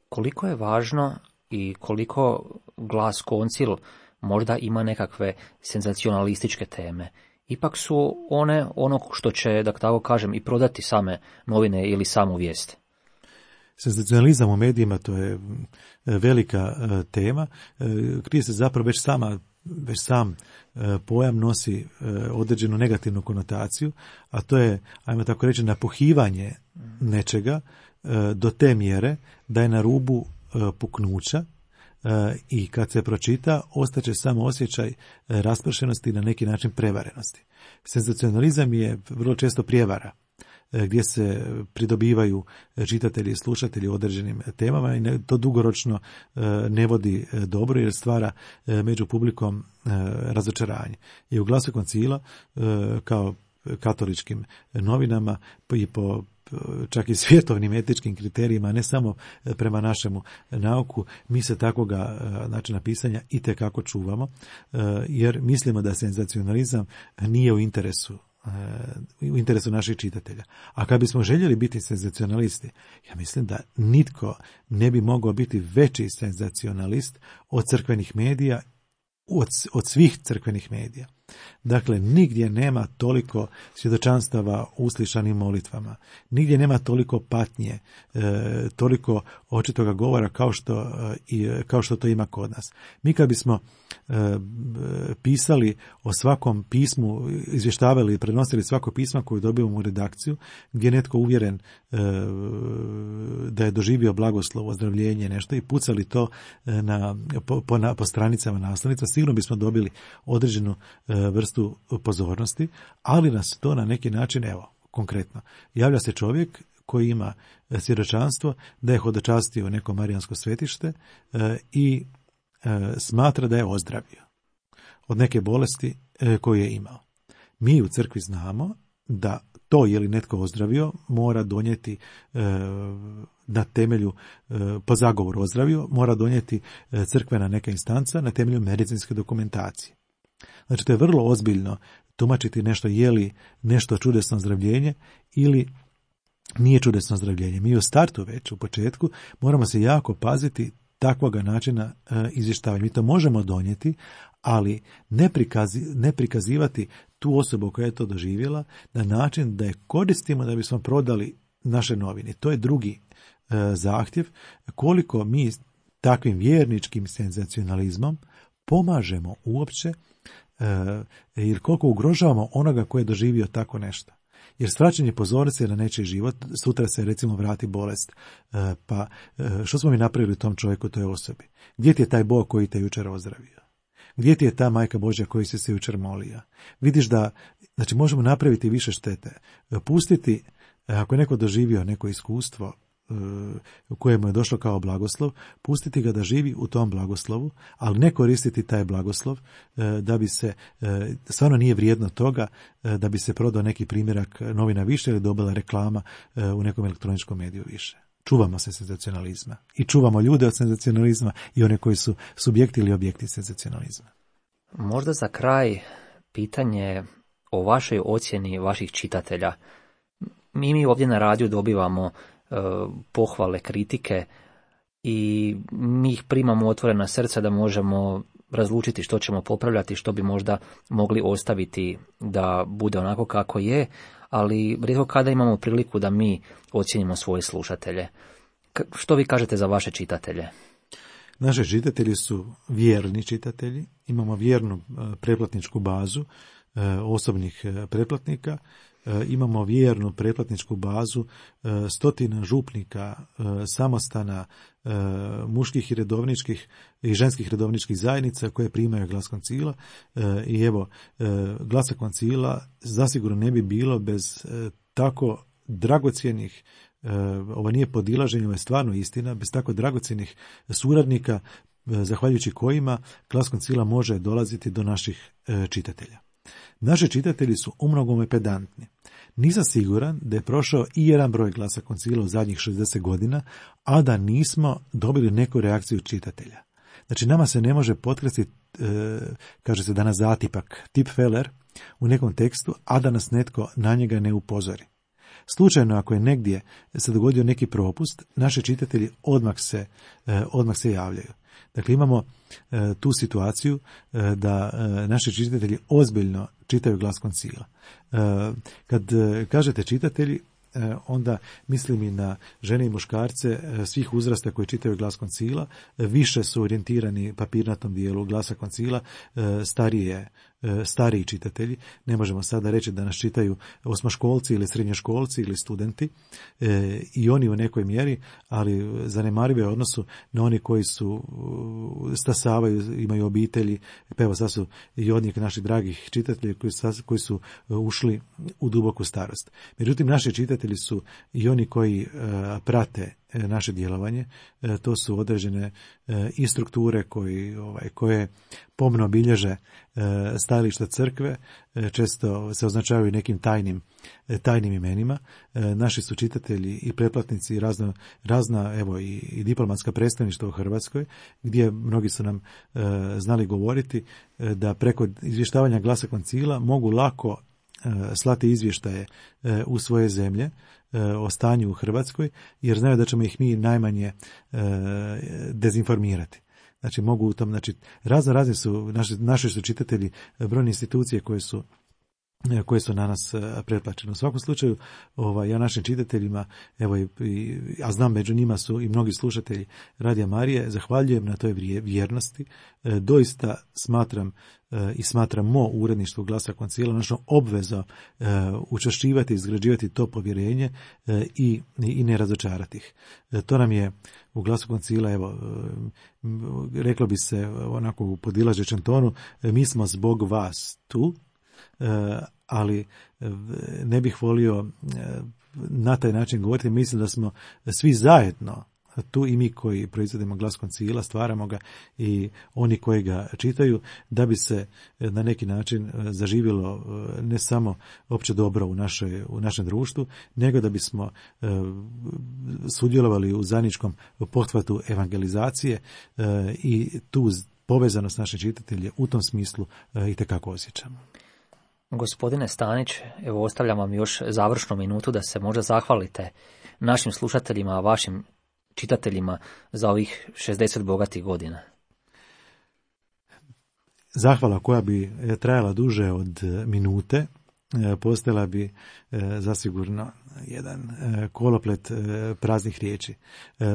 Koliko je važno i koliko Glas Koncil možda ima nekakve senzacionalističke teme? Ipak su one ono što će, da tako kažem, i prodati same novine ili samu vijest. Senzacionalizam u medijima, to je velika tema. Krije se zapravo već sam pojam nosi određenu negativnu konotaciju, a to je, ajmo tako reći, napuhivanje nečega do te mjere da je na rubu puknuća, i kad se pročita, ostaće samo osjećaj raspršenosti i na neki način prevarenosti. Senzacionalizam je vrlo često prijevara, gdje se pridobivaju čitatelji i slušatelji određenim temama i to dugoročno ne vodi dobro jer stvara među publikom razočaranje. I u Glasu Koncila, kao katoličkim novinama i po čak i svjetovnim etičkim kriterijima, ne samo prema našemu nauku, mi se takvoga načina pisanja itekako čuvamo, jer mislimo da senzacionalizam nije u interesu naših čitatelja. A kad bismo željeli biti senzacionalisti, ja mislim da nitko ne bi mogao biti veći senzacionalist od crkvenih medija, od svih crkvenih medija. Dakle, nigdje nema toliko svjedočanstava uslišanim molitvama, nigdje nema toliko patnje, toliko očitoga govora kao što to ima kod nas. Mi kad bismo pisali o svakom pismu, izvještavali i prenosili svako pismo koje dobivamo u redakciju, gdje je netko uvjeren da je doživio blagoslov, ozdravljenje, nešto i pucali to po stranicama naslovnica, sigurno bismo dobili određenu vrstu pozornosti, ali nas to na neki način, evo, konkretno, javlja se čovjek koji ima svjedočanstvo da je hodočastio neko marijansko svetište i smatra da je ozdravio od neke bolesti koju je imao. Mi u crkvi znamo da to je li netko ozdravio mora donijeti na temelju, po zagovoru ozdravio, mora donijeti crkvena neka instanca na temelju medicinske dokumentacije. Znači, to je vrlo ozbiljno tumačiti nešto, je li nešto čudesno ozdravljenje ili nije čudesno ozdravljenje. Mi u startu već, u početku, moramo se jako paziti takvoga načina izvještavanja. Mi to možemo donijeti, ali ne prikazivati tu osobu koja je to doživjela na način da je koristimo da bismo prodali naše novine. To je drugi zahtjev, koliko mi takvim vjerničkim senzacionalizmom pomažemo uopće ili koliko ugrožavamo onoga koji je doživio tako nešto. Jer svraćanje pozornice na nečiji život, sutra se recimo vrati bolest, pa što smo mi napravili tom čovjeku, toj osobi? Gdje ti je taj Bog koji te jučer ozdravio? Gdje ti je ta Majka Božja koji si se jučer molio? Vidiš da, znači, možemo napraviti više štete. Pustiti, ako je neko doživio neko iskustvo u kojemu je došlo kao blagoslov, pustiti ga da živi u tom blagoslovu, ali ne koristiti taj blagoslov da bi se, stvarno nije vrijedno toga da bi se prodao neki primjerak novina više ili dobila reklama u nekom elektroničkom mediju više. čuvamo se senzacionalizma i čuvamo ljude od senzacionalizma i one koji su subjekti ili objekti senzacionalizma. Možda za kraj pitanje o vašoj ocjeni vaših čitatelja. Mi ovdje na radiju dobivamo pohvale, kritike i mi ih primamo otvorena srca da možemo razlučiti što ćemo popravljati, što bi možda mogli ostaviti da bude onako kako je, ali rijetko kada imamo priliku da mi ocijenimo svoje slušatelje. Što vi kažete za vaše čitatelje? Naši čitatelji su vjerni čitatelji, imamo vjernu pretplatničku bazu osobnih pretplatnika, imamo vjernu pretplatničku bazu stotina župnika, samostana, muških i redovničkih i ženskih redovničkih zajednica koje primaju Glas Koncila. I evo, Glasa Koncila zasigurno ne bi bilo bez tako dragocjenih, ovo nije podilaženje, ovo je stvarno istina, bez tako dragocjenih suradnika, zahvaljujući kojima Glas Koncila može dolaziti do naših čitatelja. Naši čitatelji su umnogome pedantni. Nisam siguran da je prošao i jedan broj Glasa Koncila u zadnjih 60 godina, a da nismo dobili neku reakciju čitatelja. Znači, nama se ne može potkrasti, kaže se danas zatipak, tipfeler u nekom tekstu, a da nas netko na njega ne upozori. Slučajno, ako je negdje se dogodio neki propust, naši čitatelji odmah se javljaju. Dakle, imamo tu situaciju da naši čitatelji ozbiljno čitaju Glas Koncila. Kad kažete čitatelji, onda mislim i na žene i muškarce svih uzrasta koji čitaju Glas Koncila, više su orijentirani papirnatom dijelu Glasa Koncila, stariji čitatelji. Ne možemo sada reći da nas čitaju osmoškolci ili srednjoškolci ili studenti, i oni u nekoj mjeri, ali zanemarive u odnosu na oni koji su stasavaju, imaju obitelji. Pa evo, sad su i od njih naših dragih čitatelji koji su ušli u duboku starost. Međutim, naši čitatelji su i oni koji prate naše djelovanje. To su određene i strukture koje pomno bilježe stajališta crkve, često se označavaju nekim tajnim imenima. Naši su čitatelji i pretplatnici razna evo i diplomatska predstavništva u Hrvatskoj, gdje mnogi su nam znali govoriti da preko izvještavanja Glasa Koncila mogu lako slati izvještaje u svoje zemlje o stanju u Hrvatskoj, jer znaju da ćemo ih mi najmanje dezinformirati. Znači, mogu u tom, znači, razni su, naši su čitatelji brojne institucije koje su na nas pretplaćene. U svakom slučaju, ja našim čitateljima, evo, a znam među njima su i mnogi slušatelji Radija Marije, zahvaljujem na toj vjernosti. Doista smatramo uredništvo Glasa Koncila našom obvezom učvršćivati, izgrađivati to povjerenje i ne razočarati ih. To nam je u Glasu Koncila, evo, reklo bi se onako u podilažećem tonu, mi smo zbog vas tu, ali ne bih volio na taj način govoriti. Mislim da smo svi zajedno tu, i mi koji proizvodimo Glas Koncila, stvaramo ga, i oni koji ga čitaju, da bi se na neki način zaživjelo ne samo opće dobro u našem društvu, nego da bismo sudjelovali u zajedničkom pothvatu evangelizacije, i tu povezanost naših čitatelja u tom smislu itekako osjećamo. Gospodine Stanić, evo, ostavljam vam još završnu minutu da se možda zahvalite našim slušateljima, vašim čitateljima za ovih 60 bogatih godina. Zahvala koja bi trajala duže od minute, postala bi zasigurno jedan koloplet praznih riječi,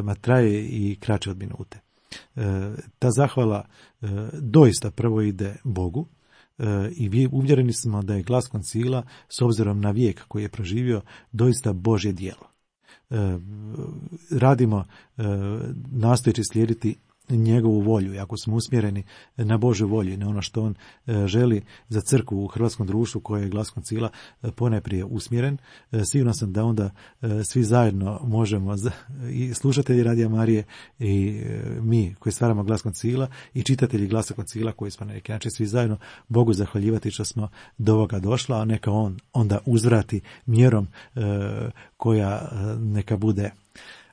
ma traje i kraće od minute. Ta zahvala doista prvo ide Bogu, i uvjereni smo da je Glas Koncila, s obzirom na vijek koji je proživio, doista Božje djelo. Radimo nastojeći slijediti njegovu volju, i ako smo usmjereni na Božju volju, na ono što on želi za crkvu u hrvatskom društvu koje je Glas Koncila ponajprije usmjeren, siguran sam da onda svi zajedno možemo, i slušatelji Radija Marije i mi koji stvaramo Glas Koncila i čitatelji Glasa Koncila koji smo na neki način svi zajedno Bogu zahvaljivati što smo do ovoga došla, a neka on onda uzvrati mjerom koja neka bude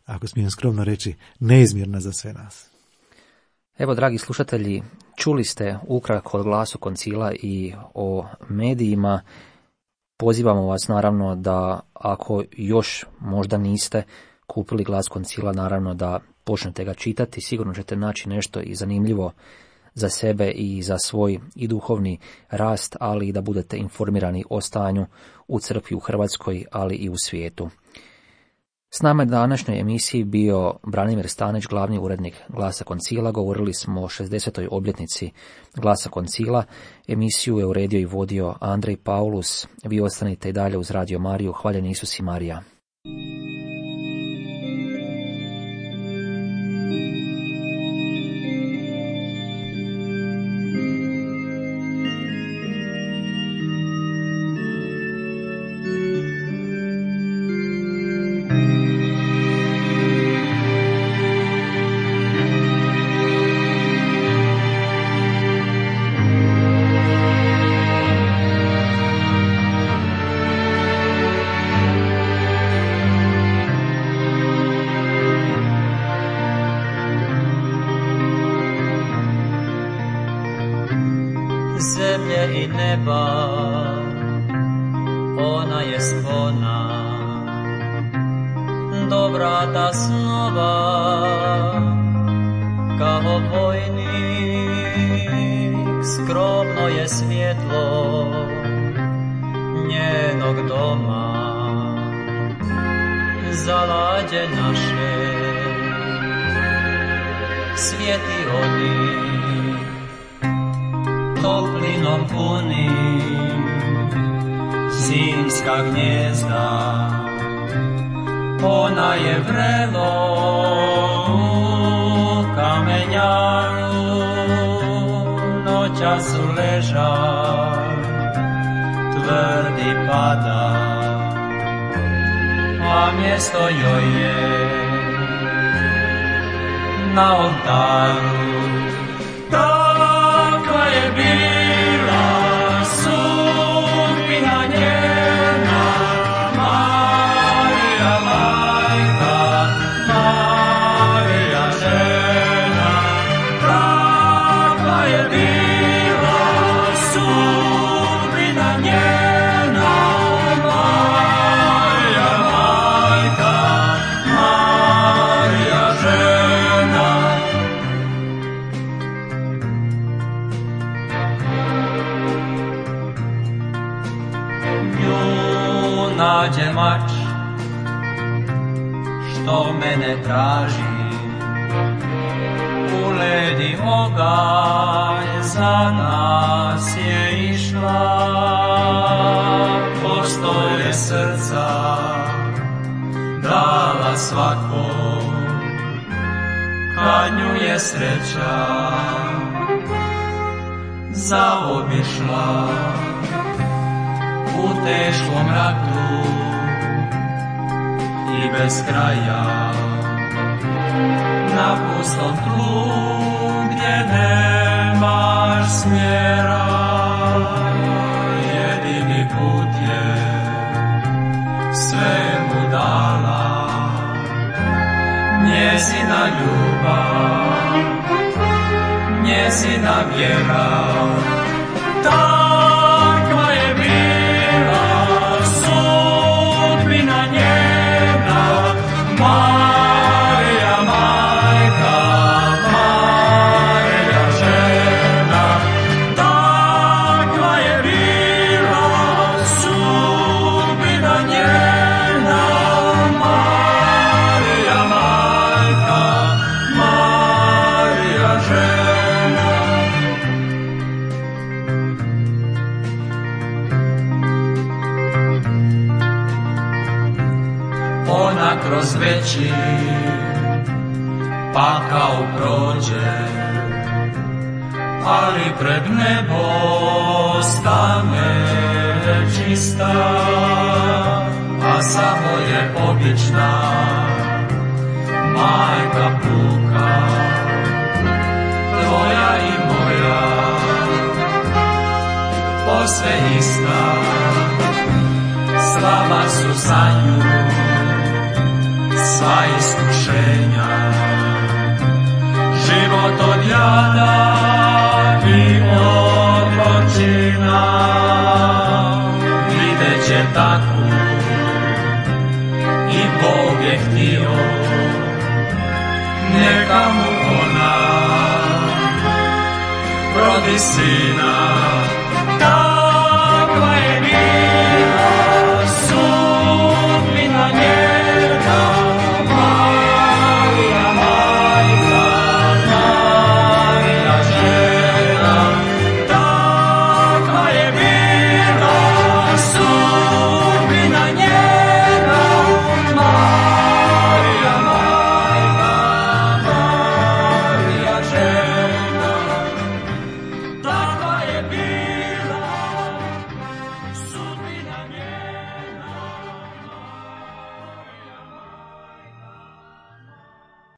ako smijem skromno reći, neizmjerna za sve nas. Evo, dragi slušatelji, čuli ste ukratko od Glasu koncila i o medijima. Pozivamo vas naravno da ako još možda niste kupili Glas koncila, naravno da počnete ga čitati. Sigurno ćete naći nešto i zanimljivo za sebe i za svoj i duhovni rast, ali i da budete informirani o stanju u crkvi u Hrvatskoj, ali i u svijetu. S nama je današnjoj emisiji bio Branimir Stanić, glavni urednik Glasa koncila. Govorili smo o 60. obljetnici Glasa koncila. Emisiju je uredio i vodio Andrej Paulus. Vi ostanite i dalje uz Radio Mariju. Hvaljen Isus i Marija. Zemlje i neba, ona je spona, do vrata snova, kao vojnik, skromno je svjetlo njenog doma, zalađe naše, svijeti oni, toplinom punim, zimska gnjezda, ona je vrelo u kamenjaru, noćas leža, tvrdi pada, a mjesto joj je na oltaru. Takva je bila sudbina njena, Marija majka, Marija žena. Takva je bila sudbina njena, Marija majka, Marija žena. Nađe mač što mene traži, u led i oganj za nas je išla, postoje srca dala svakom, kad nju je sreća zaobišla. U teškom ratu i bez kraja, na pustom tlu gdje nemaš smjera, jedini put je sve mu dala njezina ljubav, njezina vjera. Takva je bila sudbina njena, Marija majka, Marija žena. Takva je bila sudbina njena, Marija majka, Marija žena. Ona kroz veći pakao prođe, ali pred nebo stane čista, a samo je obična majka puka, tvoja i moja, posve ista, slava su za nju, sva iskušenja. Život od jada i od gorčina videće takvu i Bog je htio, neka mu ona rodi sina.